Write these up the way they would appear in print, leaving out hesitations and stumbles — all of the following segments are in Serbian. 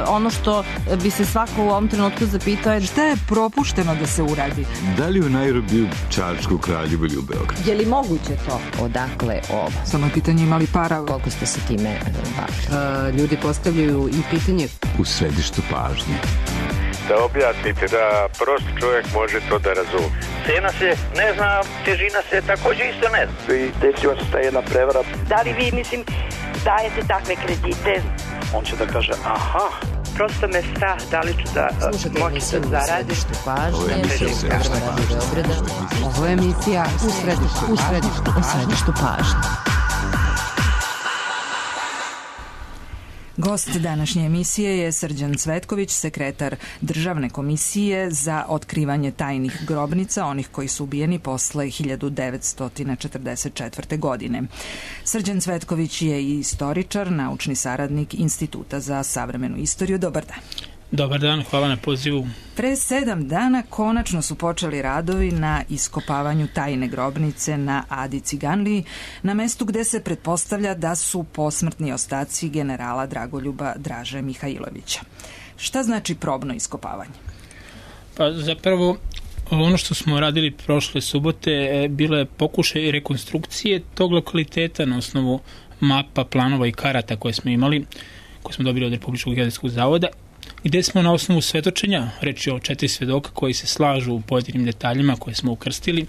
ono što bi se svako u ovom trenutku zapitao je šta je propušteno da se uradi? Da li u Nairobiju, Čačku, Kraljevu ili u Beogradu? Je li moguće to? Odakle ovo? Samo je pitanje imali para. Koliko ste se time bavili? Ljudi postavljaju i pitanje U središtu pažnje. Da objasnite, da prost čovjek može to da razumije. Cena se ne zna, težina se također isto ne zna. I desila se ta jedna prevara. Da li vi, dajete takve kredite? On će da kaže, aha. Prosto me strah, da li ću da moći da zaradim. Ovo je emisija U središtu pažnje. Gost današnje emisije je Srđan Cvetković, sekretar Državne komisije za otkrivanje tajnih grobnica, onih koji su ubijeni posle 1944. godine. Srđan Cvetković je i istoričar, naučni saradnik Instituta za savremenu istoriju. Dobar dan. Dobar dan, hvala na pozivu. Pre 7 dana konačno su počeli radovi na iskopavanju tajne grobnice na Adi Ciganliji, na mestu gde se pretpostavlja da su posmrtni ostaci generala Dragoljuba Draže Mihajlovića. Šta znači probno iskopavanje? Pa zapravo ono što smo radili prošle subote bilo je pokušaj rekonstrukcije tog lokaliteta na osnovu mapa, planova i karata koje smo imali, koje smo dobili od Republičkog geodetskog zavoda, gde smo na osnovu svedočenja, reč je o 4 svedoka koji se slažu u pojedinim detaljima koje smo ukrstili,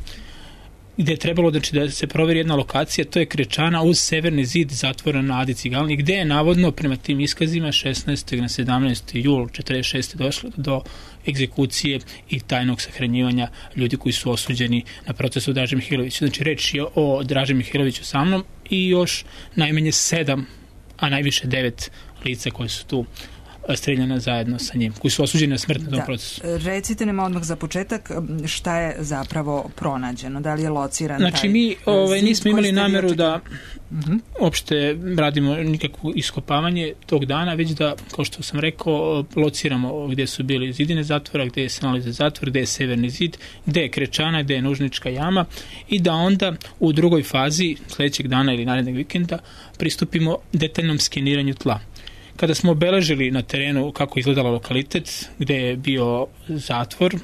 gde je trebalo da se proveri jedna lokacija, to je krečana uz severni zid zatvora na Adi Ciganliji, gde je navodno prema tim iskazima 16. na 17. jul 1946. došlo do egzekucije i tajnog sahranjivanja ljudi koji su osuđeni na procesu Draže Mihajlovića. Znači reč je o Draži Mihajloviću sa mnom i još najmanje 7, a najviše 9 lica koji su tu streljana zajedno sa njim, koji su osuđeni na smrt na tom procesu. Recite nam odmah za početak šta je zapravo pronađeno, da li je lociran znači, taj mi nismo imali nameru da uopšte radimo nikakvo iskopavanje tog dana, već da, kao što sam rekao, lociramo gde su bili zidine zatvora, gde se nalazi zatvor, gde je severni zid, gde je krečana, gde je nužnička jama i da onda u drugoj fazi sledećeg dana ili narednog vikenda pristupimo detaljnom skeniranju tla. Kada smo obeležili na terenu kako izgledala lokalitet, gde je bio zatvor,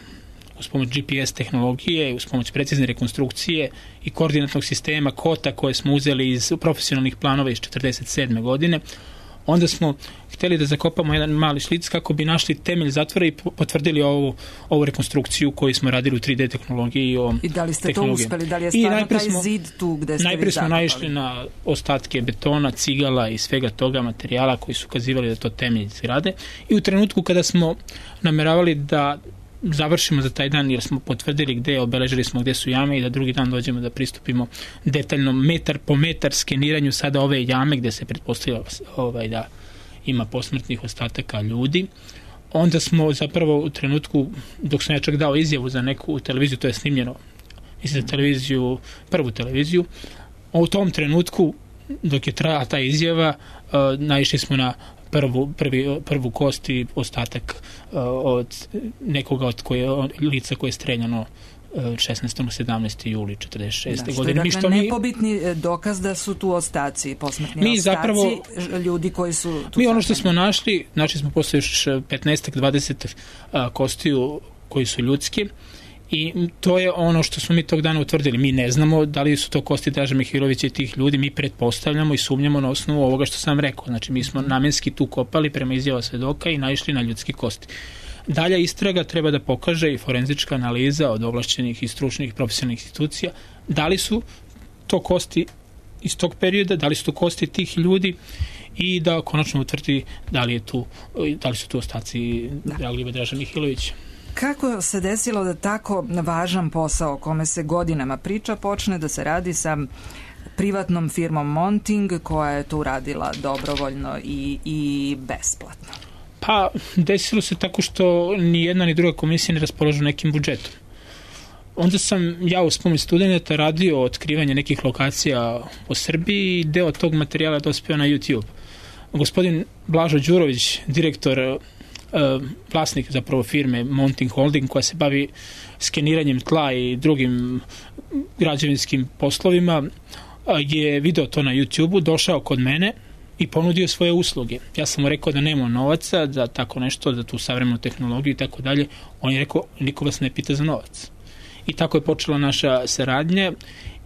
uz pomoć GPS tehnologije, uz pomoć precizne rekonstrukcije i koordinatnog sistema kota koje smo uzeli iz profesionalnih planova iz 1947. godine, onda smo hteli da zakopamo jedan mali šlic kako bi našli temelj zatvora i potvrdili ovu rekonstrukciju koju smo radili u 3D tehnologiji. I da li ste to uspeli? Da li je stvarno taj zid tu gde ste vi najprije smo zakopali? naišli na ostatke betona, cigala i svega toga materijala koji su ukazivali da to temelj zgrade. I u trenutku kada smo nameravali da završimo za taj dan, jer smo potvrdili gde, obeležili smo gde su jame i da drugi dan dođemo da pristupimo detaljnom metar po metar skeniranju sada ove jame gde se pretpostavlja da ima posmrtnih ostataka ljudi. Onda smo zapravo u trenutku, dok sam ja čak dao izjavu za neku televiziju, to je snimljeno za televiziju, prvu televiziju, u tom trenutku dok je trajala ta izjava naišli smo na prvu kost i ostatak od nekoga od lica koje je streljano 16. 17. juli 1946. godine. Što je nepobitni dokaz da su tu ostaci, posmrtni ostaci ljudi koji su tu. Mi ono što smo našli smo posle još 15-20 kostiju koji su ljudski i to je ono što smo mi tog dana utvrdili. Mi ne znamo da li su to kosti Draže Mihajlovića i tih ljudi, mi pretpostavljamo i sumnjamo na osnovu ovoga što sam rekao. Znači mi smo namenski tu kopali prema izjava svedoka i naišli na ljudski kosti. Dalja istraga treba da pokaže i forenzička analiza od ovlašćenih i stručnih profesionalnih institucija da li su to kosti iz tog perioda, da li su to kosti tih ljudi i da konačno utvrdi da li su tu ostaci Dragoljuba Draže Mihajlovića. Kako se desilo da tako važan posao o kome se godinama priča počne da se radi sa privatnom firmom Monting koja je to uradila dobrovoljno i besplatno? Pa desilo se tako što ni jedna ni druga komisija ne raspolažu nekim budžetom. Onda sam ja uz pomoć studenta radio otkrivanje nekih lokacija po Srbiji i deo tog materijala dospeo na YouTube. Gospodin Blažo Đurović, direktor, vlasnik zapravo firme Monting Holding koja se bavi skeniranjem tla i drugim građevinskim poslovima, je video to na YouTube-u, došao kod mene i ponudio svoje usluge. Ja sam mu rekao da nema novaca za tako nešto, za tu savremenu tehnologiju i tako dalje. On je rekao, niko vas ne pita za novac. I tako je počela naša saradnja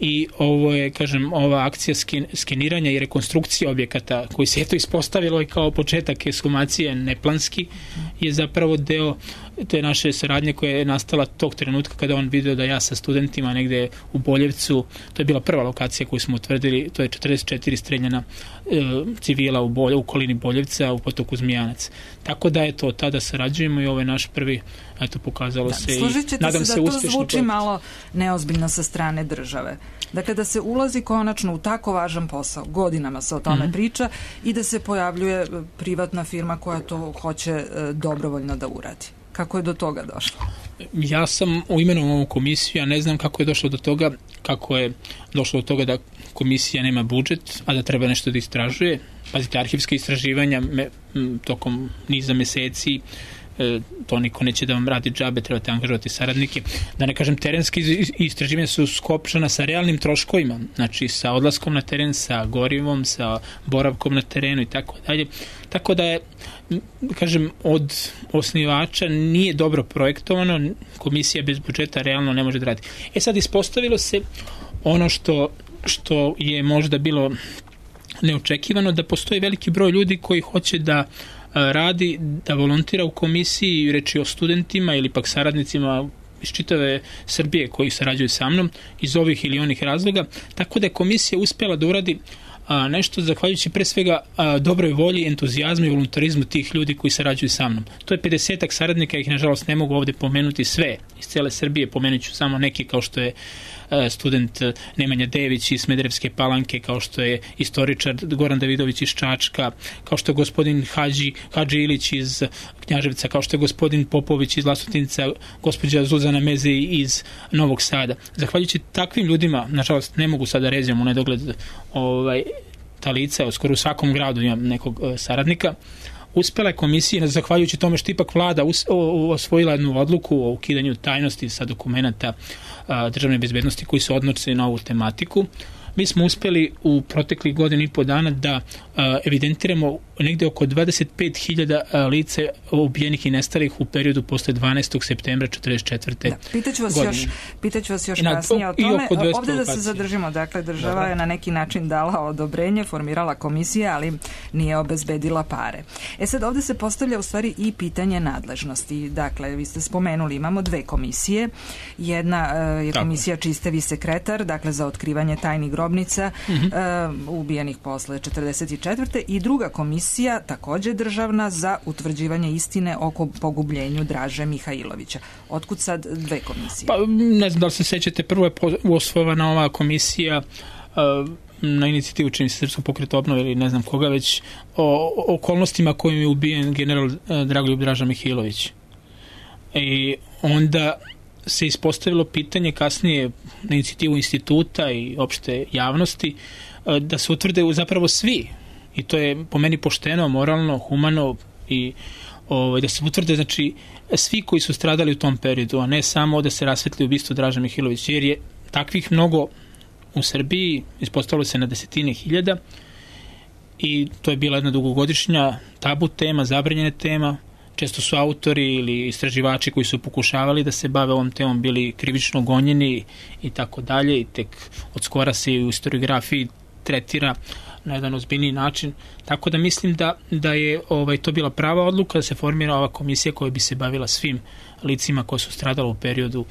i ovo je, kažem, ova akcija skeniranja i rekonstrukcija objekata koji se eto ispostavilo i kao početak ekshumacije neplanski je zapravo deo te naše saradnje koja je nastala tog trenutka kada on video da ja sa studentima negde u Boljevcu, to je bila prva lokacija koju smo utvrdili, to je 44 streljana civila u okolini Boljevca u potoku Zmijanac. Tako da je to, tada sarađujemo i ovo je naš prvi, eto, pokazalo se i nadam se uspešno. To zvuči malo neozbiljno sa strane države. Dakle, da se ulazi konačno u tako važan posao, godinama se o tome priča i da se pojavljuje privatna firma koja to hoće dobrovoljno da uradi. Kako je do toga došlo? Ja sam imenovan ovu komisiju, ja ne znam kako je došlo do toga, kako je došlo do toga da komisija nema budžet, a da treba nešto da istražuje. Pazite, arhivska istraživanja tokom niza meseci, to niko neće da vam radi džabe, trebate angažovati saradnike. Da ne kažem, terenske istraživanja su skopčana sa realnim troškovima, znači sa odlaskom na teren, sa gorivom, sa boravkom na terenu i tako dalje. Tako da je, kažem, od osnivača nije dobro projektovano, komisija bez budžeta realno ne može da radi. Sad ispostavilo se ono što je možda bilo neočekivano, da postoji veliki broj ljudi koji hoće da radi, da volontira u komisiji, reči o studentima ili pak saradnicima iz čitave Srbije koji sarađuju sa mnom iz ovih ili onih razloga, tako da je komisija uspjela da uradi nešto zahvaljujući pre svega dobroj volji, entuzijazmu i voluntarizmu tih ljudi koji sarađuju sa mnom. To je 50-ak saradnika, ih nažalost ne mogu ovde pomenuti sve iz cele Srbije, pomenut ću samo neki kao što je student Nemanja Dević iz Smederevske Palanke, kao što je istoričar Goran Davidović iz Čačka, kao što je gospodin Hadži Ilić iz Knjaževca, kao što je gospodin Popović iz Vlasotinca, gospođa Zuzana Meze iz Novog Sada. Zahvaljujući takvim ljudima, nažalost ne mogu sada ređam u nedogled ta lica, skoro u svakom gradu imam nekog saradnika, uspela je komisija, zahvaljujući tome što ipak vlada osvojila jednu odluku o ukidanju tajnosti sa dokumenta državne bezbednosti koji se odnose na ovu tematiku. Mi smo uspeli u proteklih godinu i po dana da evidentiramo negde oko 25.000 lica ubijenih i nestalih u periodu posle 12. septembra 1944. Da, pitaću vas još kasnije o tome. Ovde da se zadržimo, dakle država je na neki način dala odobrenje, formirala komisija, ali nije obezbedila pare. Sad ovde se postavlja u stvari i pitanje nadležnosti. Dakle, vi ste spomenuli, imamo dve komisije. Jedna je komisija čiji ste vi sekretar, dakle za otkrivanje tajnih grobnica ubijenih posle 1944. i druga komisija, takođe državna, za utvrđivanje istine oko pogubljenju Draže Mihajlovića. Otkud sad dve komisije? Pa, ne znam da li se sećate, prvo je osnovana ova komisija na inicijativu čini se Srpskog pokreta obnove ili ne znam koga već, o okolnostima kojim je ubijen general Dragoljub Draža Mihajlović. I onda se ispostavilo pitanje kasnije na inicijativu instituta i opšte javnosti da se utvrde zapravo svi, i to je po meni pošteno, moralno, humano, i da se utvrde, znači, svi koji su stradali u tom periodu, a ne samo da se rasvetli ubistvo Draža Mihajlovića, jer je takvih mnogo u Srbiji, ispostavilo se na desetine hiljada, i to je bila jedna dugogodišnja tabu tema, zabranjena tema. Često su autori ili istraživači koji su pokušavali da se bave ovom temom bili krivično gonjeni i tako dalje, i tek od skora se u historiografiji tretira na jedan ozbiljniji način. Tako da mislim da je to bila prava odluka da se formira ova komisija koja bi se bavila svim licima koja su stradala u periodu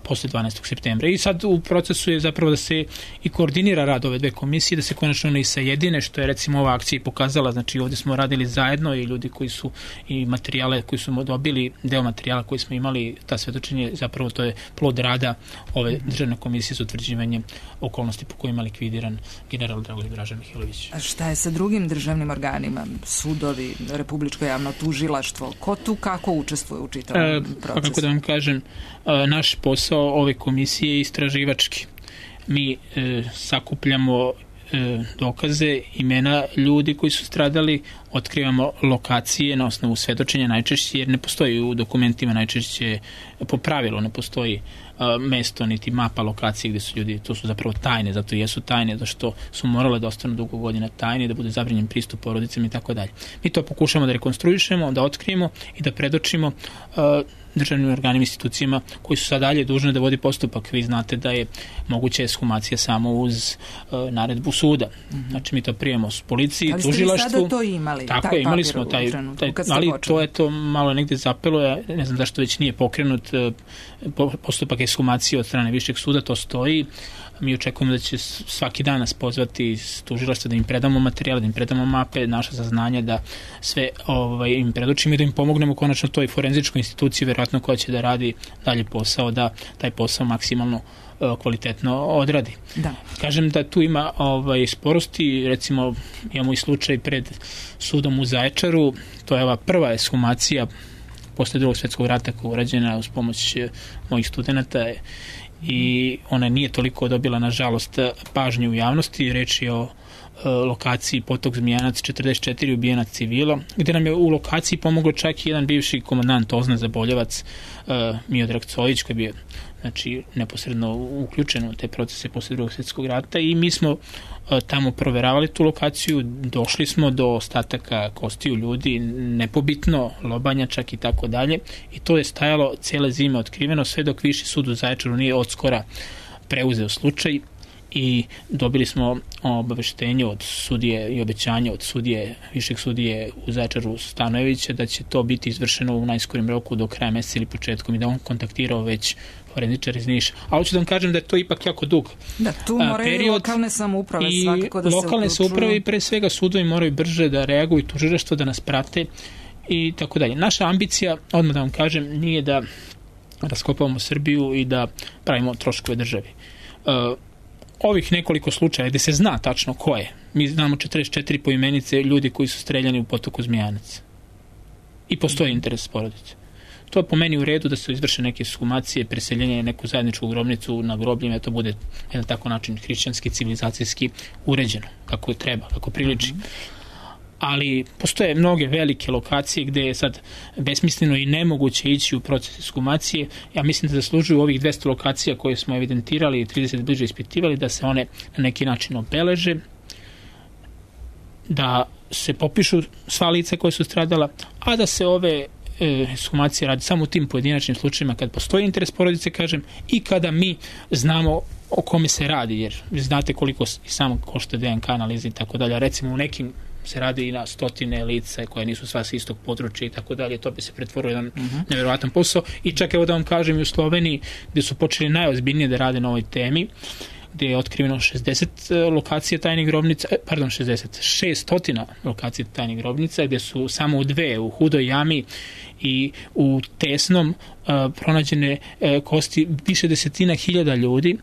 posle 12. septembra. I sad u procesu je zapravo da se i koordinira rad ove dve komisije, da se konačno ne i sajedine, što je recimo ova akcija i pokazala. Znači ovdje smo radili zajedno i ljudi koji su i materijale koji su dobili, deo materijala koji smo imali, ta svedočenje, zapravo to je plod rada ove državne komisije za utvrđivanje okolnosti po kojima je likvidiran general Dragoljub Draža Mihajlović. A šta je sa drugim državnim organima, sudovi, Republičko javno tužilaštvo, ko tu kako učestvuje u čitavom procesu? Pa kako da vam kažem, naš posao ove komisije je istraživački. Mi sakupljamo dokaze, imena ljudi koji su stradali, otkrivamo lokacije na osnovu svedočenja najčešće, jer ne postoji u dokumentima najčešće, po pravilu ne postoji mesto, niti mapa lokacije gde su ljudi, to su zapravo tajne, zato i jesu tajne, zato što su morale da ostanu dugo godina tajne, da bude zabranjen pristup porodicama i tako dalje. Mi to pokušamo da rekonstruišemo, da otkrijemo i da predočimo državnim organima, institucijama koji su sad dalje dužne da vodi postupak. Vi znate da je moguća ekshumacija samo uz naredbu suda. Znači mi to prijemo s policiji, tužilaštvu. Ali ste vi sada to imali? Tako je, imali smo taj ali to je to malo negde zapelo, ja ne znam zašto već nije pokrenut postupak ekshumacije od strane višeg suda, to stoji. Mi očekujemo da će svaki dan nas pozvati iz tužilaštva da im predamo materijal, da im predamo mape, naša saznanja, da sve im predočimo i da im pomognemo konačno toj forenzičkoj instituciji, verovatno koja će da radi dalje posao, da taj posao maksimalno kvalitetno odradi. Da. Kažem da tu ima sporosti, recimo imamo i slučaj pred sudom u Zaječaru, to je ova prva ekshumacija posle Drugog svjetskog rata koja je urađena uz pomoć mojih studenata i ona nije toliko dobila, nažalost, pažnju u javnosti. Reč je o lokaciji Potok Zmijanac 44, ubijenac civila, gde nam je u lokaciji pomoglo čak i jedan bivši komandant OZNA Zaboljevac, Miodrag Cojić, koji je bio neposredno uključen u te procese posle Drugog svjetskog rata i mi smo tamo proveravali tu lokaciju, došli smo do ostataka kostiju ljudi, nepobitno, lobanja čak i tako dalje, i to je stajalo cele zime otkriveno, sve dok Viši sud u Zaječaru nije odskora preuzeo slučaj i dobili smo obaveštenje od sudije i obećanje od višeg sudije u Zaječaru Stanojevića da će to biti izvršeno u najskorim roku do kraja meseca ili početkom i da on kontaktirao već forenzičar iz Niša. A hoću da vam kažem da je to ipak jako dug period. Da, tu moraju lokalne samouprave svakako da se uključuju. Lokalne samouprave i pre svega sudovi moraju brže da reaguju, tužilaštvo da nas prate i tako dalje. Naša ambicija, odmah da vam kažem, nije da raskopavamo Srbiju i da pravimo troškove državi. Ovih nekoliko slučaja gde se zna tačno ko je, mi znamo 44 poimenice ljudi koji su streljani u Potoku Zmijanac i postoji interes porodice. To je po meni u redu da se izvrše neke ekshumacije, preseljenje neku zajedničku grobnicu na grobljima, to bude jedan tako način hrišćanski, civilizacijski uređeno, kako treba, kako priliči. Ali postoje mnoge velike lokacije gde je sad besmisleno i nemoguće ići u proces ekshumacije. Ja mislim da zaslužuju ovih 200 lokacija koje smo evidentirali i 30 bliže ispitivali, da se one na neki način obeleže, da se popišu sva lica koje su stradala, a da se ove ekshumacije radi samo u tim pojedinačnim slučajima kad postoji interes porodice, kažem, i kada mi znamo o kome se radi, jer vi znate koliko i samo košta DNK analiza i tako dalje. Recimo u nekim se radi i na stotine lica koje nisu sva s istog područja i tako dalje, to bi se pretvorilo jedan nevjerovatan posao. I čak evo da vam kažem, i u Sloveniji gde su počeli najozbiljnije da rade na ovoj temi, gde je otkriveno 60 lokacija tajnih grobnica, 600 lokacija tajnih grobnica, gde su samo u 2, u Hudoj jami i u Tesnom, pronađene kosti više desetina hiljada ljudi.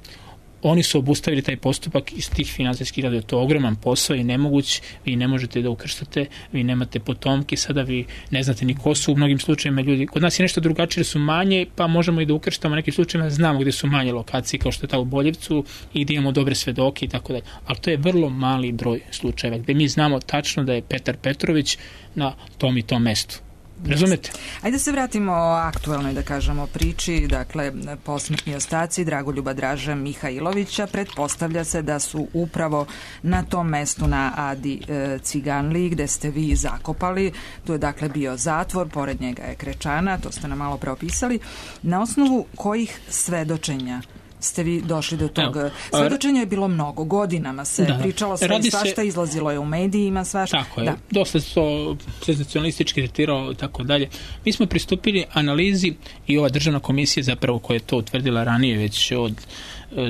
Oni su obustavili taj postupak iz tih finansijskih razloga. To je ogroman posao i nemoguć. Vi ne možete da ukrštate, vi nemate potomke, sada vi ne znate ni ko su u mnogim slučajima ljudi. Kod nas je nešto drugačije, jer su manje, pa možemo i da ukrštamo nekim slučajima, znamo gde su manje lokacije, kao što je ta u Boljevcu, i da imamo dobre svedoke i tako dalje. Ali to je vrlo mali broj slučajeva, gde mi znamo tačno da je Petar Petrović na tom i tom mestu. Razumete? Ajde se vratimo o aktuelnoj, da kažemo, priči. Dakle, posmrtni ostaci Dragoljuba Draže Mihajlovića, pretpostavlja se da su upravo na tom mestu na Adi Ciganliji, gde ste vi zakopali. Tu je dakle bio zatvor, pored njega je krečana, to ste nam malo preopisali. Na osnovu kojih svedočenja ste vi došli do toga? Svedočenja je bilo mnogo, godinama se pričalo sve i svašta, izlazilo je u medijima, svašta. Tako je, dosta se to senzacionalistički tretiralo i tako dalje. Mi smo pristupili analizi i ova državna komisija zapravo koja je to utvrdila ranije već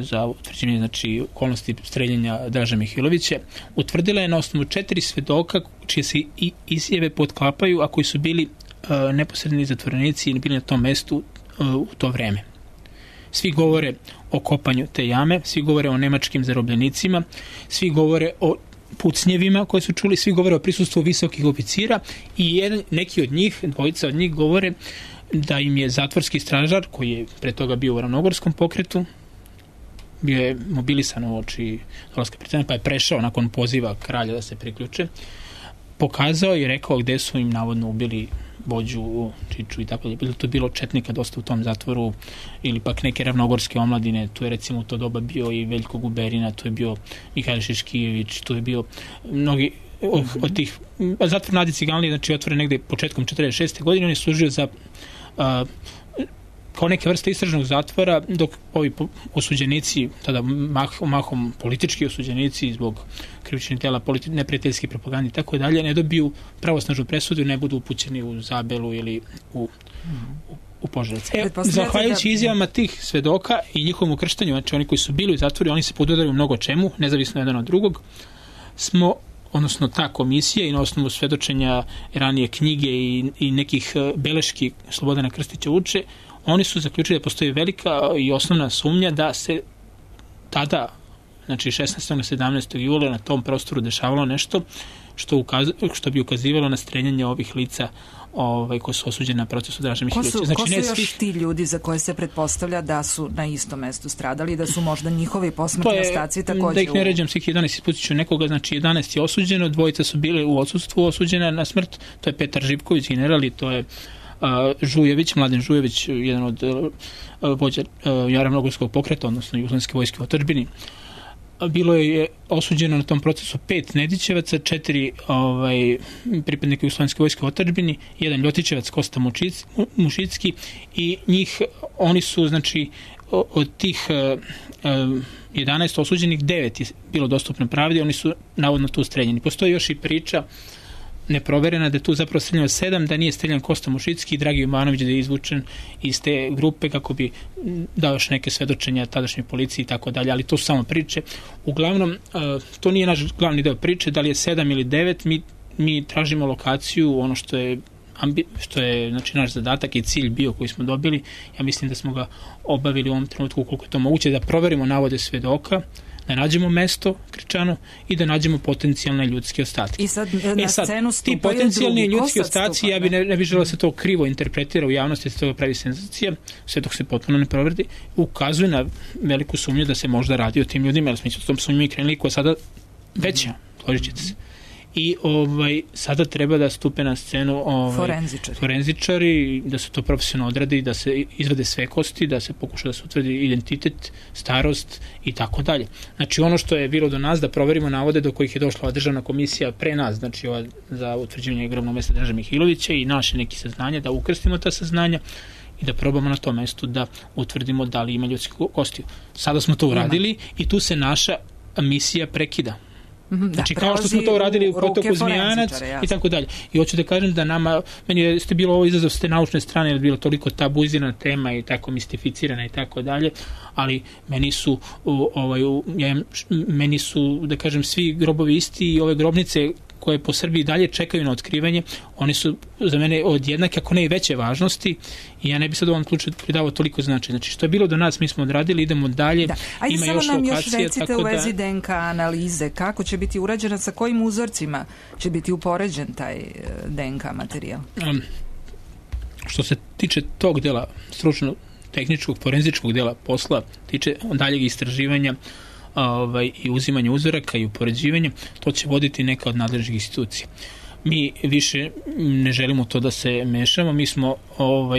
za utvrđenje, znači, okolnosti streljenja Draže Mihajlovića, utvrdila je na osnovu 4 svedoka čije se i izjave potklapaju, a koji su bili neposredni zatvorenici ili bili na tom mestu u to vreme. Svi govore o kopanju te jame, svi govore o nemačkim zarobljenicima, svi govore o pucnjevima koje su čuli, svi govore o prisustvu visokih oficira i neki od njih, dvojica od njih, govore da im je zatvorski stražar, koji je pre toga bio u Ravnogorskom pokretu, bio je mobilisan u oči dolaska predsjednika, pa je prešao nakon poziva kralja da se priključe, pokazao i rekao gde su im navodno ubili Bođu, Čiču i tako dalje. To je bilo četnika dosta u tom zatvoru, ili pak neke ravnogorske omladine, tu je recimo u to doba bio i Veljko Guberina, tu je bio Mihajlo Šeškijević, tu je bio mnogi od tih, zatvor na Adi Ciganliji, znači otvoren negde početkom 46. godine, on je služio za kao neke vrste istražnog zatvora, dok ovi osuđenici, tada mahom politički osuđenici zbog krivičnih dela, neprijateljske propagande i tako dalje, ne dobiju pravosnažnu presudu i ne budu upućeni u Zabelu ili u Požarevac. Zahvaljujući izjavama tih svedoka i njihovom ukrštanju, znači oni koji su bili u zatvoru, oni se podudaraju mnogo čemu, nezavisno jedan od drugog, odnosno ta komisija i na osnovu svedočenja ranije knjige i nekih beleški Slobodana Krstića Vuče, oni su zaključili da postoji velika i osnovna sumnja da se tada, znači 16. na 17. jula na tom prostoru dešavalo nešto što bi ukazivalo na streljanje ovih lica koji su osuđeni na procesu Draže Mihajlovića. Ko su još ti ljudi za koje se pretpostavlja da su na istom mestu stradali, da su možda njihovi posmrtni ostaci takođe... Da ih ne ređam svih 11, isputit ću nekoga, znači 11 je osuđeno, dvojica su bili u odsustvu osuđena na smrt, to je Petar Živković, general, i to je Žujević, Mladen Žujević, jedan od vođa Ravnogorskog pokreta, odnosno Jugoslovenske vojske u otadžbini. Bilo je osuđeno na tom procesu 5 Nedićevaca, 4 pripadnika Jugoslovenske vojske u otadžbini, 1 Ljotićevac, Kosta Mušicki, i oni su, znači, od tih 11 osuđenih, 9 je bilo dostupno pravdi, oni su navodno tu streljeni. Postoji još i priča neproverena da je tu zapravo streljeno 7, da nije streljan Kosta Mušicki i Dragi Jovanović, da je izvučen iz te grupe kako bi dao još neke svedočenja tadašnjoj policiji i tako dalje, ali to su samo priče. Uglavnom, to nije naš glavni deo priče, da li je 7 ili 9, mi tražimo lokaciju, ono što je znači naš zadatak i cilj bio koji smo dobili. Ja mislim da smo ga obavili u ovom trenutku koliko je to moguće, da proverimo navode svedoka, da nađemo mesto Kričanu i da nađemo potencijalne ljudske ostatke. I sad na scenu stupaju ti potencijalni ljudski ostaci, ja bi ne bi želeo da se to krivo interpretira u javnosti, da se toga pravi senzacija, sve dok se potpuno ne proverdi, ukazuje na veliku sumnju da se možda radi o tim ljudima, jer smo s tom sumnjom i krenuli, koja je sada veća, složit ćete se. I sada treba da stupe na scenu forenzičari, da se to profesionalno odradi, da se izvede sve kosti, da se pokuša da se utvrdi identitet, starost i tako dalje. Znači ono što je bilo do nas, da proverimo navode do kojih je došla ova državna komisija pre nas, znači ova za utvrđivanje grobnog mesta Draže Mihajlovića, i naše neki saznanja, da ukrstimo ta saznanja i da probamo na tom mestu da utvrdimo da li ima ljudskih kostiju. Sada smo to uradili i tu se naša misija prekida. Znači, kao što smo to uradili u potoku Zmijanac i tako dalje. I hoću da kažem da meni ste bilo ovo izazov s te naučne strane, jer je bilo toliko tabuizirana tema i tako mistificirana i tako dalje, ali meni su, da kažem, svi grobovi isti i ove grobnice koje po Srbiji dalje čekaju na otkrivanje, oni su za mene od jednake, ako ne i veće važnosti, i ja ne bi sad u ovom slučaju pridavao toliko značaj. Znači, što je bilo do nas, mi smo odradili, idemo dalje. Ajde, ima samo nam još recite u vezi DNK analize, kako će biti urađena, sa kojim uzorcima će biti upoređen taj DNK materijal? Što se tiče tog dela, stručno tehničkog, forenzičkog dela posla, tiče daljeg istraživanja i uzimanje uzoraka i upoređivanje, to će voditi neka od nadležnih institucija. Mi više ne želimo to da se mešamo, mi smo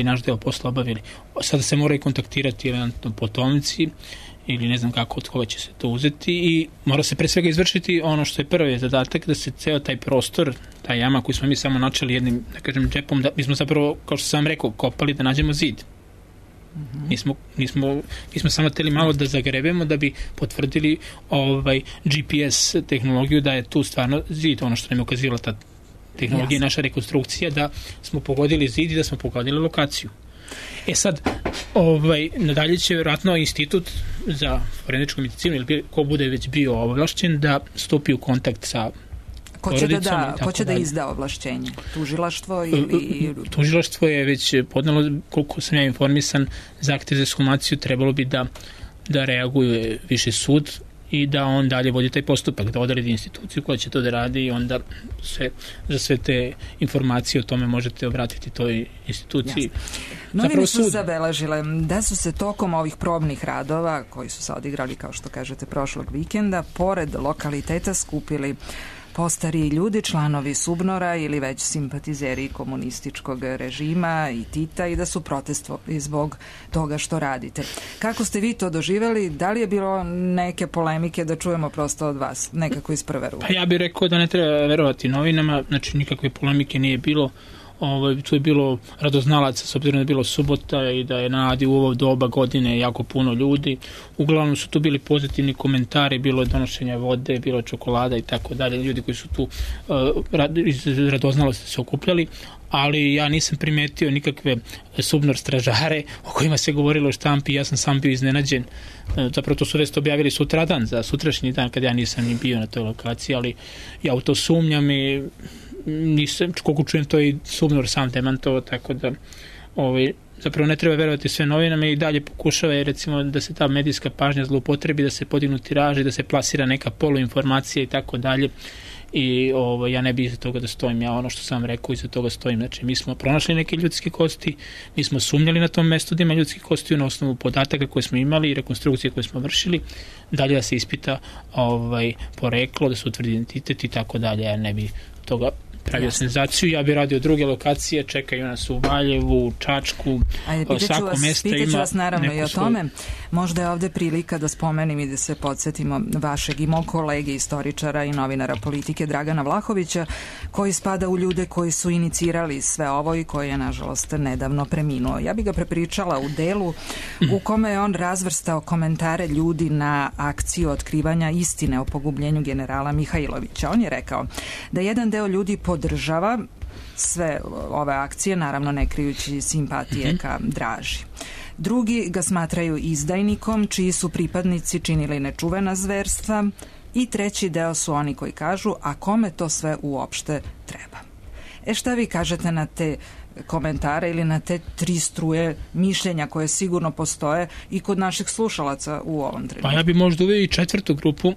naš deo posla obavili. Sada se moraju kontaktirati eventualno potomci ili ne znam kako, od koga će se to uzeti, i mora se pre svega izvršiti ono što je prvi zadatak, da se ceo taj prostor, ta jama koju smo mi samo načeli jednim, da kažem, džepom, da mi smo zapravo, kao što sam rekao, kopali da nađemo zid. Mi smo samo hteli malo da zagrebemo da bi potvrdili GPS tehnologiju, da je tu stvarno zid, ono što nam je ukazivala ta tehnologija i naša rekonstrukcija, da smo pogodili zid i da smo pogodili lokaciju. Sad, nadalje će vjerojatno institut za forenzičku medicinu ili ko bude već bio ovlašćen da stupi u kontakt sa porodicom. Ko će da izda ovlašćenje? Tužilaštvo ili... Tužilaštvo je već podnelo, koliko sam ja informisan, zahtev za ekshumaciju, trebalo bi da reaguje viši sud i da on dalje vodi taj postupak, da odredi instituciju koja će to da radi, i onda za sve te informacije o tome možete obratiti toj instituciji. Novine su zabeležile da su se tokom ovih probnih radova, koji su se odigrali, kao što kažete, prošlog vikenda, pored lokaliteta skupili postariji ljudi, članovi Subnora ili već simpatizeri komunističkog režima i Tita i da su protestovali zbog toga što radite. Kako ste vi to doživjeli? Da li je bilo neke polemike, da čujemo prosto od vas, nekako iz prve ruke? Pa ja bih rekao da ne treba verovati novinama, znači nikakve polemike nije bilo. Tu je bilo radoznalaca, s obzirom da je bilo subota i da je na Adi u ovo doba godine jako puno ljudi. Uglavnom su tu bili pozitivni komentari, bilo je donošenja vode, bilo je čokolada i tako dalje. Ljudi koji su tu iz radoznalosti se okupljali, ali ja nisam primetio nikakve Subnor stražare o kojima se govorilo o štampi. Ja sam sam bio iznenađen. Zapravo to su već objavili sutradan, za sutrašnji dan, kad ja nisam ni bio na toj lokaciji, ali ja u to sumnjam i nisam, koliko čujem, to i Subnor sam demantovao, tako da zapravo ne treba verovati sve novinama i dalje pokušava recimo da se ta medijska pažnja zloupotrebi, da se podignu tiraži, da se plasira neka poluinformacija i tako dalje. I ja ne bih iza toga da stojim, ja ono što sam rekao iza toga stojim. Znači mi smo pronašli neke ljudske kosti, mi smo sumnjali na tom mestu da ima ljudskih kosti na osnovu podataka koje smo imali i rekonstrukcije koje smo vršili, dalje da se ispita poreklo, da se utvrdi identitet i tako dalje. Ja ne bih toga pravio senzaciju, ja bih radio druge lokacije, čekaju nas u Valjevu, u Čačku, svako mesta ima... Pitaću vas naravno i o tome. Možda je ovde prilika da spomenim i da se podsjetimo vašeg i mog kolege, istoričara i novinara politike Dragana Vlahovića, koji spada u ljude koji su inicirali sve ovo i koji je, nažalost, nedavno preminuo. Ja bih ga prepričala u delu u kome je on razvrstao komentare ljudi na akciju otkrivanja istine o pogubljenju generala Mihajlovića. On je rekao da jedan deo ljudi podržava sve ove akcije, naravno ne krijući simpatije ka Draži. Drugi ga smatraju izdajnikom, čiji su pripadnici činili nečuvena zverstva, i treći deo su oni koji kažu, a kome to sve uopšte treba. Šta vi kažete na te komentare ili na te tri struje mišljenja koje sigurno postoje i kod naših slušalaca u ovom trenutku? Pa ja bi možda uveo i četvrtu grupu,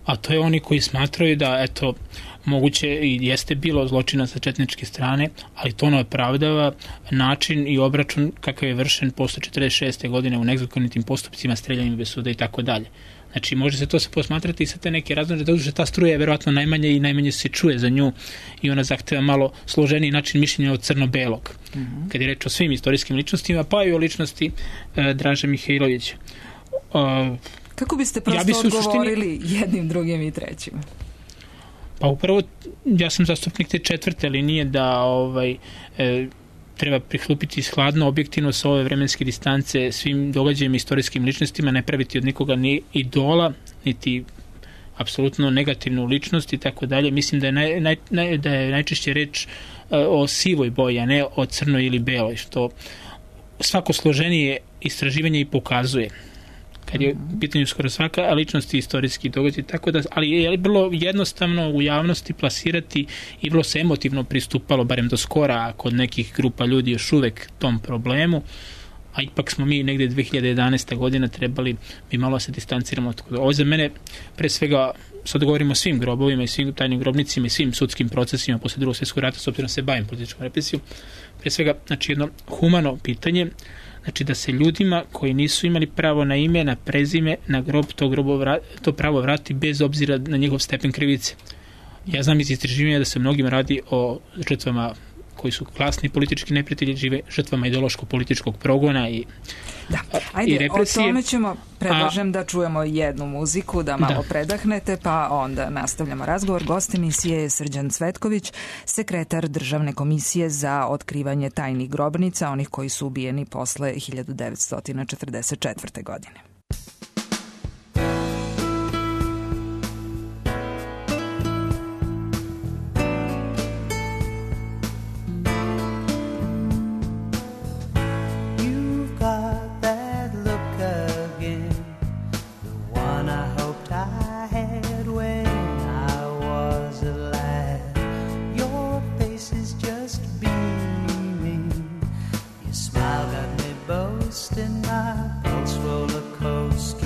a to je oni koji smatraju da, eto, moguće i jeste bilo zločina sa četničke strane, ali to ne opravdava način i obračun kakav je vršen posle 46. godine u nezakonitim postupcima, streljanjem bez suda i tako dalje. Znači, može se to se posmatrati i sa te neke razlože, da ta struja je verovatno najmanje i najmanje se čuje za nju i ona zahteva malo složeniji način mišljenja od crno-belog. Kad je reč o svim istorijskim ličnostima, pa i o ličnosti Draže Mihajlovića. Kako biste prosto odgovorili jednim, drugim i trećim? Pa upravo ja sam zastupnik te četvrte linije da treba prihlupiti hladno, objektivno sa ove vremenske distance svim događajima, istorijskim ličnostima, ne praviti od nikoga ni idola, niti apsolutno negativnu ličnost i tako dalje. Mislim da je najčešće reč o sivoj boji, a ne o crnoj ili beloj, što svako složenije istraživanje i pokazuje. Kad je u pitanju skoro svaka ličnost i istorijski događaj, tako da, ali je bilo jednostavno u javnosti plasirati i vrlo se emotivno pristupalo, barem do skora, kod nekih grupa ljudi još uvek tom problemu, a ipak smo mi negde 2011. godina trebali bi malo se distanciramo. Ovo za mene, pre svega, sad govorimo o svim grobovima i svim tajnim grobnicima i svim sudskim procesima posle drugog svjetskog rata, s obzirom se bavim političkom represijom, pre svega, znači jedno humano pitanje, znači da se ljudima koji nisu imali pravo na ime, na prezime, na grob, to pravo vrati bez obzira na njegov stepen krivice. Ja znam iz istraživanja da se mnogim radi o žrtvama koji su klasni politički neprijatelji, žive žrtvama ideološko-političkog progona i represije. O tome ćemo, predlažem da čujemo jednu muziku, da malo predahnete, pa onda nastavljamo razgovor. Gost emisije je Srđan Cvetković, sekretar Državne komisije za otkrivanje tajnih grobnica, onih koji su ubijeni posle 1944. godine. In my pulse roller coaster.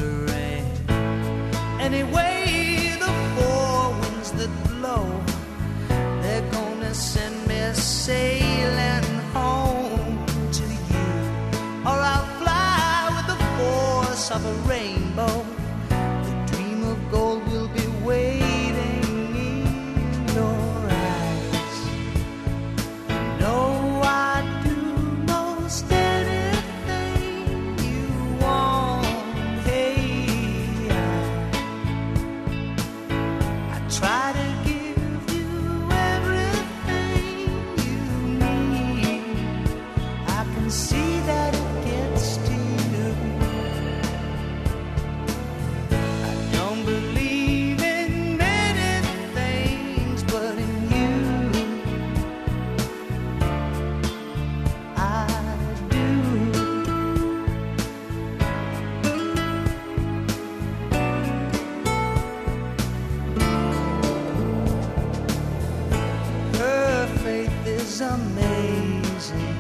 amazing,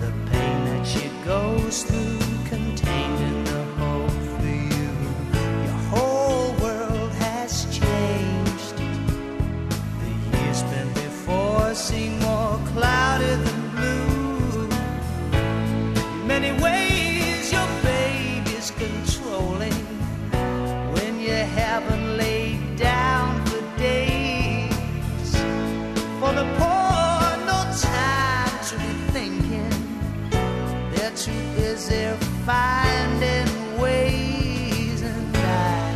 the pain that she goes through, contained in the hope for you. Your whole world has changed. The years spent before seem more cloudy than blue. In many ways your baby's controlling when you haven't laid down for days. For the poor, no time to be thinking, they're too busy finding ways. And I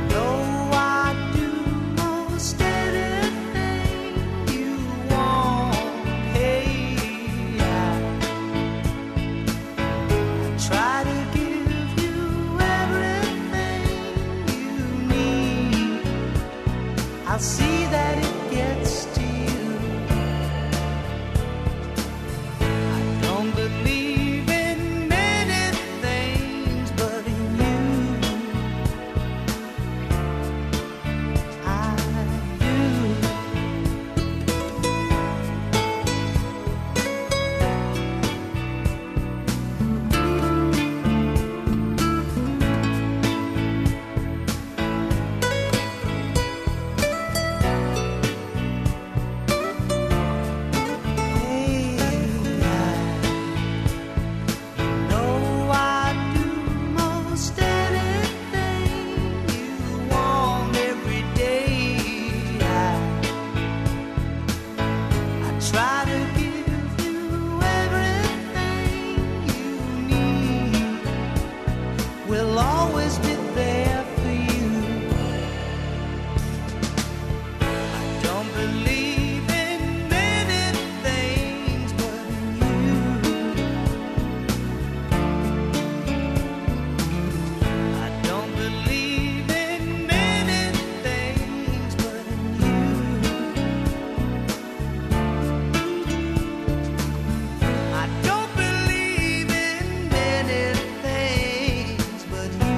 know I do most anything you want. Hey, I try to give you everything you need. I'll see that it gets to you. I don't believe in many things, but in you I do. Hey, I know I do most anything you want every day. I try to give you everything you need. We'll always be there for you. I don't believe in many things, but in you. I don't believe in many things, but in you. I don't believe in many things, but you.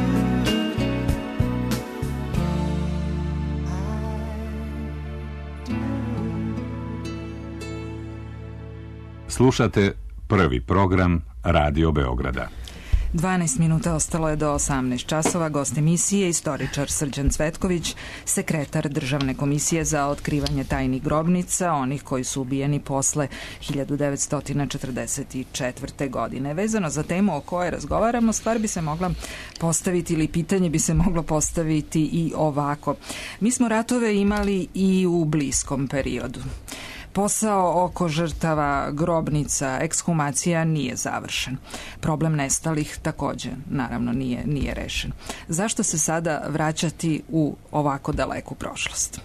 Slušate prvi program Radio Beograda. 12 minuta ostalo je do 18 časova. Gost emisije, istoričar Srđan Cvetković, sekretar Državne komisije za otkrivanje tajnih grobnica, onih koji su ubijeni posle 1944. godine. Vezano za temu o kojoj razgovaramo, stvar bi se mogla postaviti ili pitanje bi se moglo postaviti i ovako. Mi smo ratove imali i u bliskom periodu. Posao oko žrtava, grobnica, ekshumacija nije završen. Problem nestalih takođe, naravno, nije rešen. Zašto se sada vraćati u ovako daleku prošlost?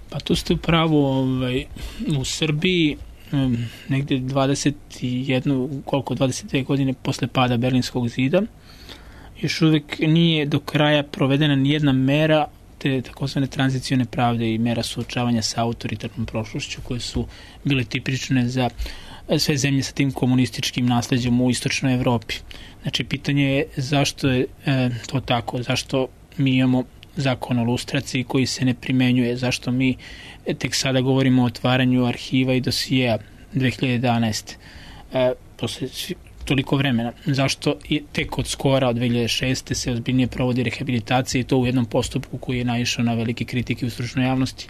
Pa tu ste u pravu, u Srbiji negde 22 godine posle pada Berlinskog zida još uvek nije do kraja provedena nijedna mera te takozvane tranzicione pravde i mera suočavanja sa autoritarnom prošlošću koje su bile tipične za sve zemlje sa tim komunističkim nasleđem u istočnoj Evropi. Znači, pitanje je zašto je to tako, zašto mi imamo zakon o lustraciji koji se ne primenjuje, zašto mi tek sada govorimo o otvaranju arhiva i dosijeja 2011. Posle toliko vremena. Zašto tek od skora, od 2006. se ozbiljnije provodi rehabilitacija i to u jednom postupku koji je naišao na velike kritike u stručnoj javnosti.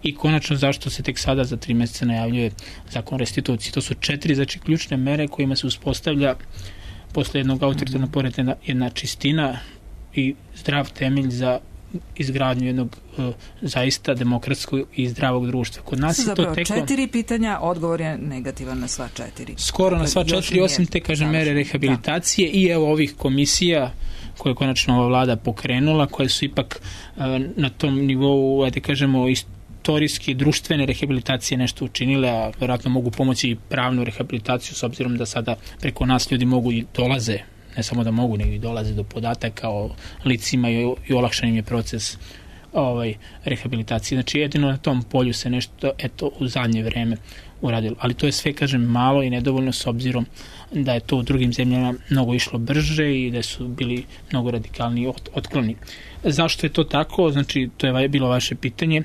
I konačno zašto se tek sada za 3 meseca najavljuje zakon o restituciji. To su 4 ključne mere kojima se uspostavlja posle jednog autoritarnog poretka jedna čistina i zdrav temelj za izgradnju jednog zaista demokratskog i zdravog društva. Kod nas je to teko 4 pitanja, odgovor je negativan na sva 4. Skoro na sva 4, osim te, kažem, mere rehabilitacije i evo ovih komisija koje je konačno ova vlada pokrenula, koje su ipak na tom nivou, ajde kažemo, istorijski društvene rehabilitacije nešto učinile, a vjerojatno mogu pomoći i pravnu rehabilitaciju, s obzirom da sada preko nas ljudi mogu i dolaze, ne samo da mogu, nego i dolaze do podataka o licima i olakšan im je proces rehabilitacije. Znači, jedino na tom polju se nešto, u zadnje vreme uradilo. Ali to je sve, kažem, malo i nedovoljno, s obzirom da je to u drugim zemljama mnogo išlo brže i da su bili mnogo radikalniji otkloni. Zašto je to tako? Znači, to je bilo vaše pitanje.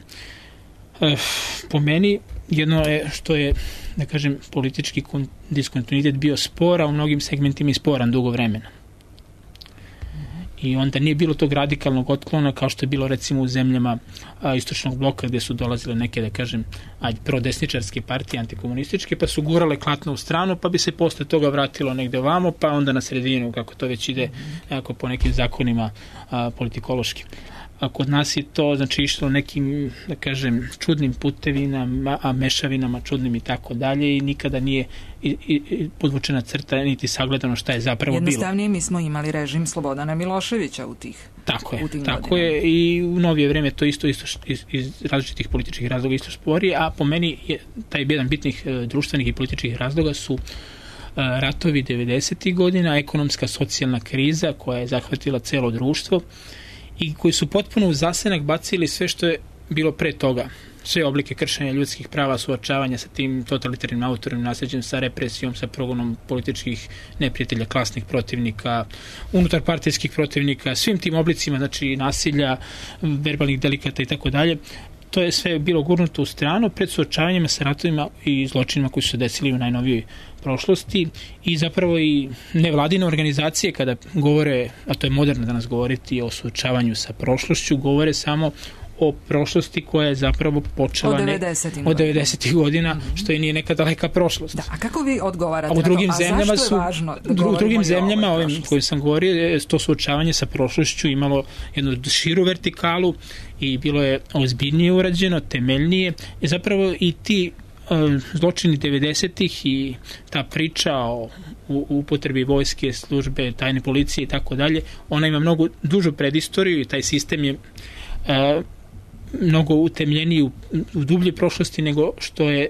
Po meni jedno je što je, da kažem, politički diskontinuitet bio spor, a u mnogim segmentima i sporan dugo vremena. I onda nije bilo tog radikalnog otklona kao što je bilo recimo u zemljama istočnog bloka gdje su dolazile neke, da kažem, prodesničarske partije, antikomunističke, pa su gurale klatno u stranu, pa bi se posle toga vratilo negde ovamo, pa onda na sredinu, kako to već ide jako po nekim zakonima politikološkim. A kod nas je to, znači, išlo nekim, da kažem, čudnim putevinama, mešavinama čudnim i tako dalje, i nikada nije podvučena crta niti sagledano šta je zapravo bilo. Jednostavnije mi smo imali režim Slobodana Miloševića u tih Tako je, i u novije vreme to isto iz različitih političkih razloga isto spori, a po meni je taj jedan bitnih društvenih i političkih razloga su ratovi 90. godina, ekonomska socijalna kriza koja je zahvatila celo društvo i koji su potpuno u zasenak bacili sve što je bilo pre toga. Sve oblike kršenja ljudskih prava, suočavanja sa tim totalitarnim autornim nasljeđem, sa represijom, sa progonom političkih neprijatelja, klasnih protivnika, unutarpartijskih protivnika, svim tim oblicima, znači nasilja, verbalnih delikata i tako dalje. To je sve bilo gurnuto u stranu pred suočavanjima sa ratovima i zločinima koji su se desili u najnovijoj prošlosti, i zapravo i nevladine organizacije kada govore, a to je moderno danas govoriti o suočavanju sa prošlošću, govore samo o prošlosti koja je zapravo počela od 90. godina, što je nije neka daleka prošlost. Da, a kako vi odgovarate na to? A zašto je važno da govorimo u drugim zemljama, ovim kojim sam govorio, to suočavanje sa prošlošću imalo jednu širu vertikalu i bilo je ozbiljnije urađeno, temeljnije, i zapravo i ti zločini 90-ih i ta priča o upotrebi vojske, službe, tajne policije i tako dalje, ona ima mnogo dužu predistoriju i taj sistem je mnogo utemljeniji u dublje prošlosti nego što je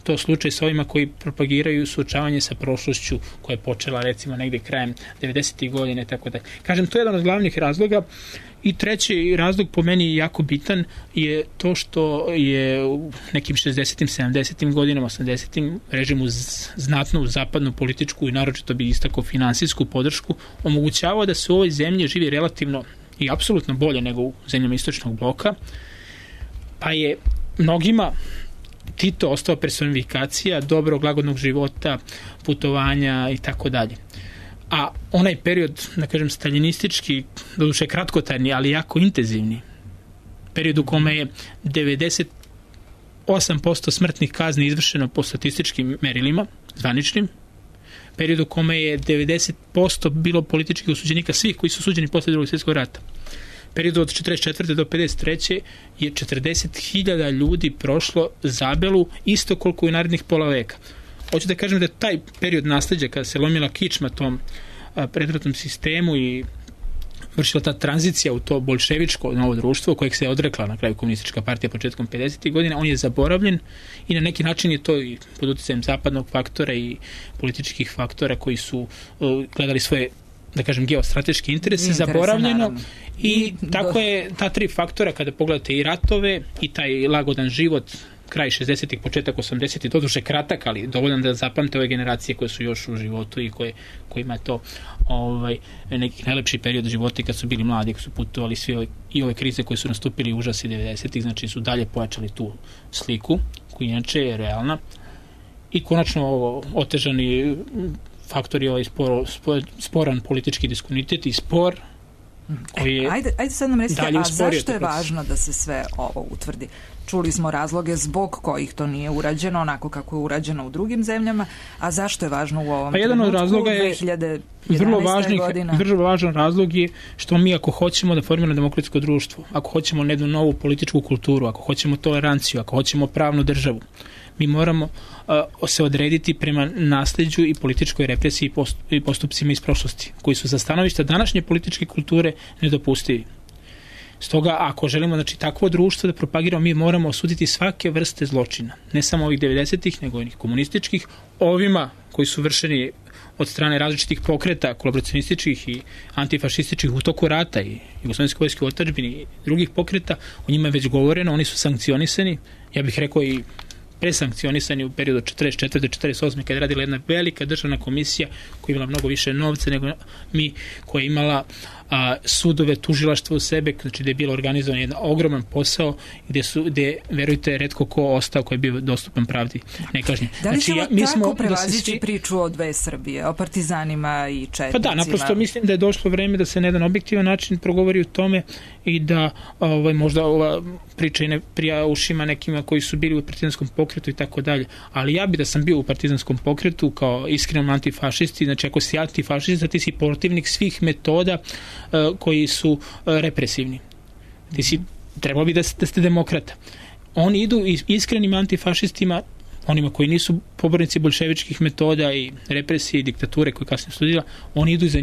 to slučaj sa ovima koji propagiraju suočavanje sa prošlošću koja je počela recimo negdje krajem 90. godine i tako dalje. Kažem, to je jedan od glavnih razloga. I treći razlog, po meni jako bitan, je to što je u nekim 60. 70. godinama, 80. režimu znatnu zapadnu političku i naročito bi istakao finansijsku podršku omogućavao da se u ovoj zemlji živi relativno i apsolutno bolje nego u zemljama istočnog bloka, pa je mnogima Tito ostao personifikacija dobrog, lagodnog života, putovanja i tako dalje. A onaj period, da kažem, staljinistički, doduše kratkotrajni, ali jako intenzivni, period u kome je 98% smrtnih kazni izvršeno po statističkim merilima, zvaničnim, period u kome je 90% bilo političkih osuđenika, svih koji su osuđeni posle Drugog svjetskog rata. Period od 44. do 53. je 40.000 ljudi prošlo zabelu, isto koliko i narednih pola veka. Hoću da kažem da je taj period nasleđa, kada se lomila kičma tom predratnom sistemu i vršila ta tranzicija u to bolševičko novo društvo, kojeg se je odrekla na kraju komunistička partija početkom 50. godina, on je zaboravljen i na neki način je to i pod utjecajem zapadnog faktora i političkih faktora koji su gledali svoje, da kažem, geostrateške interese zaboravljeno, naravno. I tako je ta tri faktora, kada pogledate i ratove i taj lagodan život kraj 60-ih, početak 80-ih, doduše kratak, ali dovoljan da zapamte ove generacije koje su još u životu i kojima je to neki najlepši period života kad su bili mladi, kad su putovali svi i ove krize koje su nastupili užasi 90-ih, znači su dalje pojačali tu sliku, koja inače je realna. I konačno otežani faktor je ovaj sporan politički diskontinuitet i spor koji je ajde sad nam recite, a zašto je važno da se sve ovo utvrdi? Čuli smo razloge zbog kojih to nije urađeno onako kako je urađeno u drugim zemljama, a zašto je važno u ovom jedan od razloga je 2011. vrlo važan razlog je što mi ako hoćemo da formiramo demokratsko društvo, ako hoćemo jednu novu političku kulturu, ako hoćemo toleranciju, ako hoćemo pravnu državu, mi moramo se odrediti prema nasleđu i političkoj represiji i postupcima iz prošlosti, koji su za stanovišta današnje političke kulture nedopustivi. Stoga, ako želimo, znači, takvo društvo da propagiramo, mi moramo osuditi svake vrste zločina. Ne samo ovih 90-ih, nego i onih komunističkih, ovima koji su vršeni od strane različitih pokreta, kolaboracionističkih i antifašističkih u toku rata i jugoslovenske vojske u otadžbini i drugih pokreta, o njima je već govoreno, oni su sankcionisani, ja bih rekao i presankcionisani u periodu 44. do 48. kada je radila jedna velika državna komisija koja je imala mnogo više novca nego mi, koja je imala sudove, tužilaštvo u sebe, znači da je bilo organizovan jedan ogroman posao gde verujte, retko ko ostao koji je bio dostupan pravdi nekažnjen. Da li znači, ćemo tako prevazići priču o dve Srbije, o partizanima i četnicima? Pa da, naprosto mislim da je došlo vreme da se na jedan objektivan način progovori o tome i da možda ova priča i ne prija ušima nekima koji su bili u partizanskom pokretu i tako dalje, ali ja bi da sam bio u partizanskom pokretu kao iskrenom antifašisti, znači ako si antifašista ti si protivnik svih metoda koji su represivni. Ti si, trebalo bi da ste demokrata. Oni idu iskrenim antifašistima, onima koji nisu pobornici bolševičkih metoda i represije i diktature koje kasnije studira, oni idu za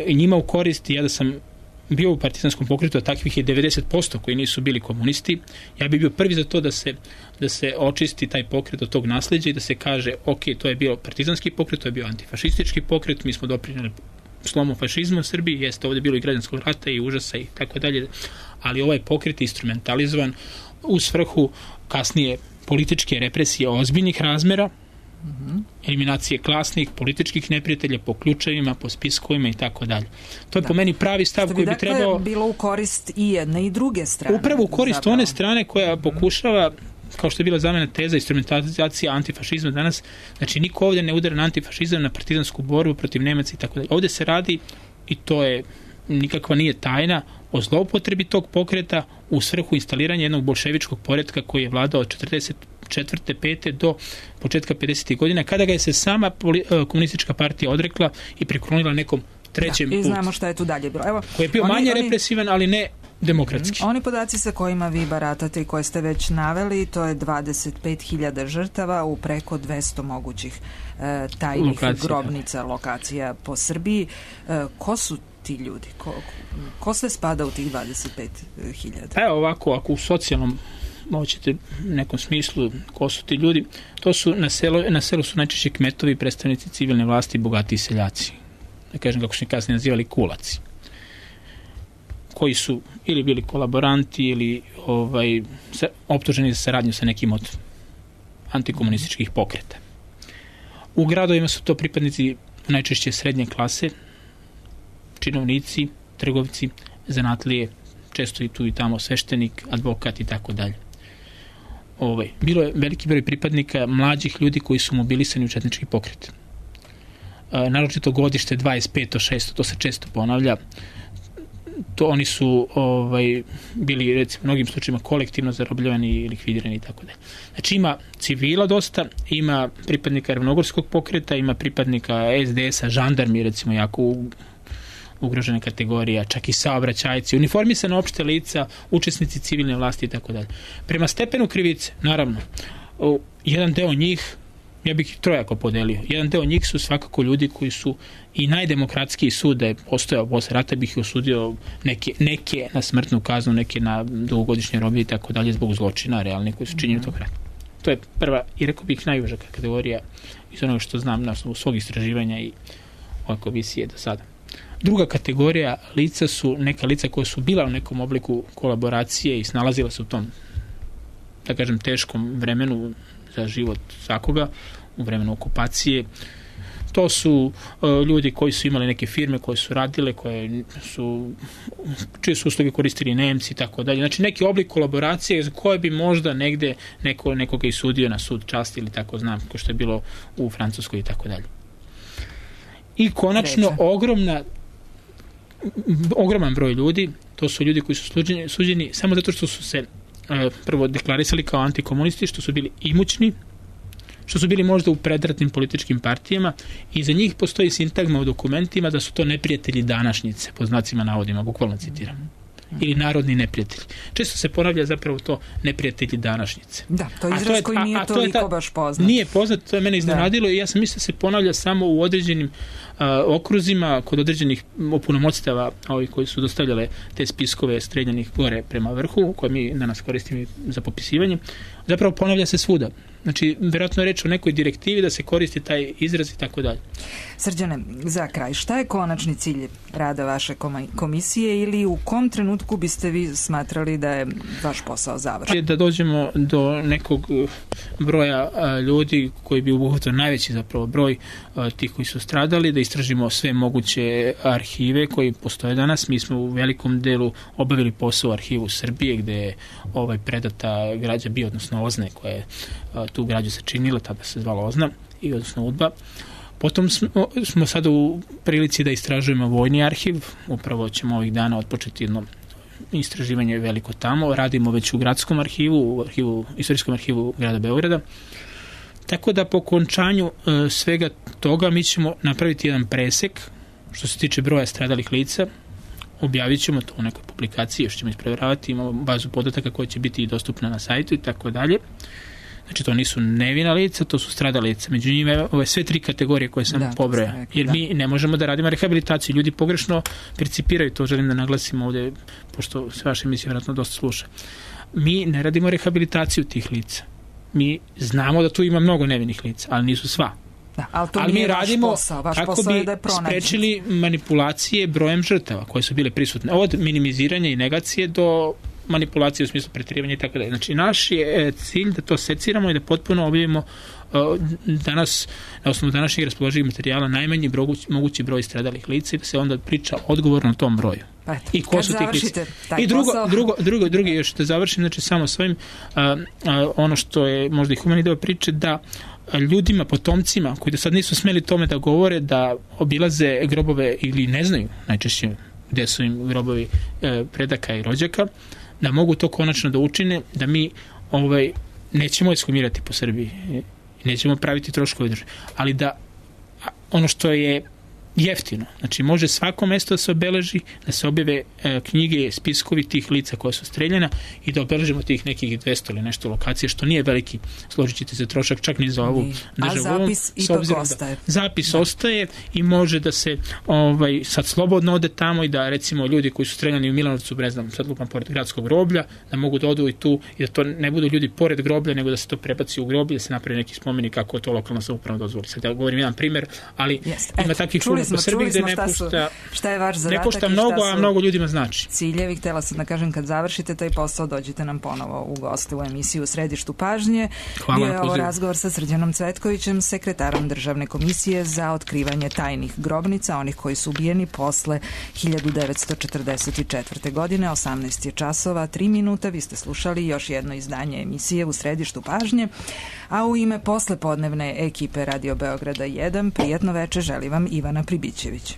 njima u korist. Ja da sam bio u partizanskom pokretu, a takvih je 90% koji nisu bili komunisti, ja bih bio prvi za to da se očisti taj pokret od tog nasleđa i da se kaže, ok, to je bio partizanski pokret, to je bio antifašistički pokret, mi smo doprinjeli slomu fašizma u Srbiji, jeste ovdje bilo i građanskog rata i užasa i tako dalje, ali ovaj pokret je instrumentalizovan u svrhu kasnije političke represije ozbiljnih razmera, eliminacije klasnih, političkih neprijatelja po ključevima, po spiskovima i tako dalje. To je po meni pravi stav koji bi trebao... Što bi bilo u korist i jedne i druge strane. Upravo u korist one strane koja pokušava, kao što je bila zamena teza, instrumentalizacija antifašizma danas, znači niko ovdje ne udara na antifašizam, na partizansku borbu protiv Nemaca i tako dalje. Ovdje se radi, i to je nikakva nije tajna, o zloupotrebi tog pokreta u svrhu instaliranja jednog bolševičkog poretka koji je vladao od 44. 5. do početka 50. godina, kada ga je se sama komunistička partija odrekla i priklonila nekom trećem putu. I znamo šta je tu dalje bilo. Evo, koji je bio manje represivan, ali ne demokratski. Oni podaci sa kojima vi baratate i koje ste već naveli, to je 25.000 žrtava u preko 200 mogućih tajnih grobnica, lokacija po Srbiji. Ko su ti ljudi? Ko sve spada u tih 25.000? Evo ovako, ako u socijalnom hoćete nekom smislu, ko su ti ljudi, to su na selu su najčešće kmetovi, predstavnici civilne vlasti, bogati seljaci. Da kažem kako su kasnije nazivali kulaci, koji su ili bili kolaboranti ili optuženi za saradnju sa nekim od antikomunističkih pokreta. U gradovima su to pripadnici najčešće srednje klase, činovnici, trgovci, zanatlije, često i tu i tamo sveštenik, advokat i tako dalje. Bilo je veliki broj pripadnika mlađih ljudi koji su mobilisani u četnički pokret. Naročito godište 25. to se često ponavlja. Oni su bili recimo u mnogim slučajima kolektivno zarobljavani i likvidirani i tako dalje. Znači ima civila dosta, ima pripadnika ravnogorskog pokreta, ima pripadnika SDS-a, žandarmi recimo jako ugrožene kategorija, čak i saobraćajci, uniformisana opšte lica, učesnici civilne vlasti i tako dalje. Prema stepenu krivice, naravno, jedan deo njih, ja bih ih trojako podelio, jedan deo njih su svakako ljudi koji su i najdemokratskiji sud da je postojao posle rata, bih ih osudio neke na smrtnu kaznu, neke na dugogodišnje robije i tako dalje zbog zločina realnih koji su činjeni tog rata. To je prva i rekao bih najuža kategorija iz onoga što znam na osnovu svog istraživanja i ove komisije do sada. Druga kategorija lica su neka lica koja su bila u nekom obliku kolaboracije i snalazila se u tom, da kažem, teškom vremenu za život svakoga, u vremenu okupacije. To su ljudi koji su imali neke firme koje su radile, čije su usluge koristili Nemci i tako dalje. Znači neki oblik kolaboracije za koje bi možda negde nekoga i sudio na sud časti ili tako znam, kao što je bilo u Francuskoj i tako dalje. I konačno ogroman broj ljudi, to su ljudi koji su suđeni samo zato što su se prvo deklarisali kao antikomunisti, što su bili imućni, što su bili možda u predratnim političkim partijama i za njih postoji sintagma u dokumentima da su to neprijatelji današnjice, po znacima navodima, bukvalno citiram. Ili narodni neprijatelji. Često se ponavlja zapravo to neprijatelji današnjice. Da, to je izraz koji nije toliko baš poznat. Nije poznat, to je mene iznenadilo i ja sam mislio da se ponavlja samo u određenim okruzima, kod određenih opunomoćstava koji su dostavljale te spiskove streljanih gore prema vrhu, koje mi danas koristimo za popisivanje, zapravo ponavlja se svuda. Znači, vjerojatno je reč o nekoj direktivi da se koristi taj izraz i tako dalje. Srđane, za kraj, šta je konačni cilj rada vaše komisije ili u kom trenutku biste vi smatrali da je vaš posao završen? Da dođemo do nekog broja ljudi koji bi obuhvatio najveći zapravo broj tih koji su stradali, da istražimo sve moguće arhive koji postoje danas. Mi smo u velikom delu obavili posao u arhivu Srbije gde je predata građa bio, odnosno OZNE, koja je tu građu sačinila, tada se zvala OZNA, i odnosno UDBA. Potom smo sada u prilici da istražujemo vojni arhiv, upravo ćemo ovih dana otpočeti jedno istraživanje veliko tamo, radimo već u gradskom arhivu, istorijskom arhivu grada Beograda. Tako da po okončanju svega toga mi ćemo napraviti jedan presek što se tiče broja stradalih lica, objavit ćemo to u nekoj publikaciji, još ćemo ispreveravati, imamo bazu podataka koja će biti dostupna na sajtu i tako dalje. Znači, to nisu nevina lica, to su stradala lica. Među njima ove sve tri kategorije koje sam pobrojao. Jer mi ne možemo da radimo rehabilitaciju. Ljudi pogrešno percipiraju, to želim da naglasim ovdje, pošto se vaša emisija vjerojatno dosta sluša. Mi ne radimo rehabilitaciju tih lica. Mi znamo da tu ima mnogo nevinih lica, ali nisu sva. Da, ali mi radimo kako bi sprečili manipulacije brojem žrtava koje su bile prisutne. Od minimiziranja i negacije do manipulacije u smislu pretjerivanja i tako dalje. Znači, naš je cilj da to seciramo i da potpuno objavimo danas, na osnovu današnjeg raspoloživih materijala, najmanji mogući broj stradalih lica i da se onda priča odgovorno o tom broju. I ko su tih lica. I drugi još da završim, znači samo svojim ono što je možda i humani deo priče, da ljudima, potomcima koji do sad nisu smeli tome da govore, da obilaze grobove ili ne znaju najčešće gde su im grobovi predaka i rođaka, da mogu to konačno da učine, da mi nećemo ekshumirati po Srbiji, nećemo praviti troškove države, ali da ono što je jeftino, znači može svako mesto da se obeleži, da se objave knjige, spiskovi tih lica koja su streljena i da obeležimo tih nekih 200 ili nešto lokacije, što nije veliki, složit ćete se, trošak čak ni za ovu državu. A zapis ipak ostaje. Zapis ostaje i može da se sad slobodno ode tamo i da recimo ljudi koji su streljani u Milanovcu, ne znam, sad lupam pored gradskog groblja, da mogu da odu i tu i da to ne budu ljudi pored groblja, nego da se to prebaci u groblje, da se napravi neki spomenik kako je to lokalna samouprava dozvoli. Sad ja govorim jedan primer, ali ima takvih po Srbiji gde šta je vaš zadatak, ne košta mnogo, a mnogo ljudima znači. Ciljevi, htjela sam da kažem, kad završite taj posao, dođite nam ponovo u goste u emisiju u Središtu pažnje. Hvala. Bio je ovo razgovor sa Srđanom Cvetkovićem, sekretarom Državne komisije za otkrivanje tajnih grobnica, onih koji su ubijeni posle 1944. godine, 18 je časova, 3 minuta. Vi ste slušali još jedno izdanje emisije u Središtu pažnje, a u ime poslepodnevne ekipe Radio Beograda 1 prijetno veče želi vam Ivana Pribićević.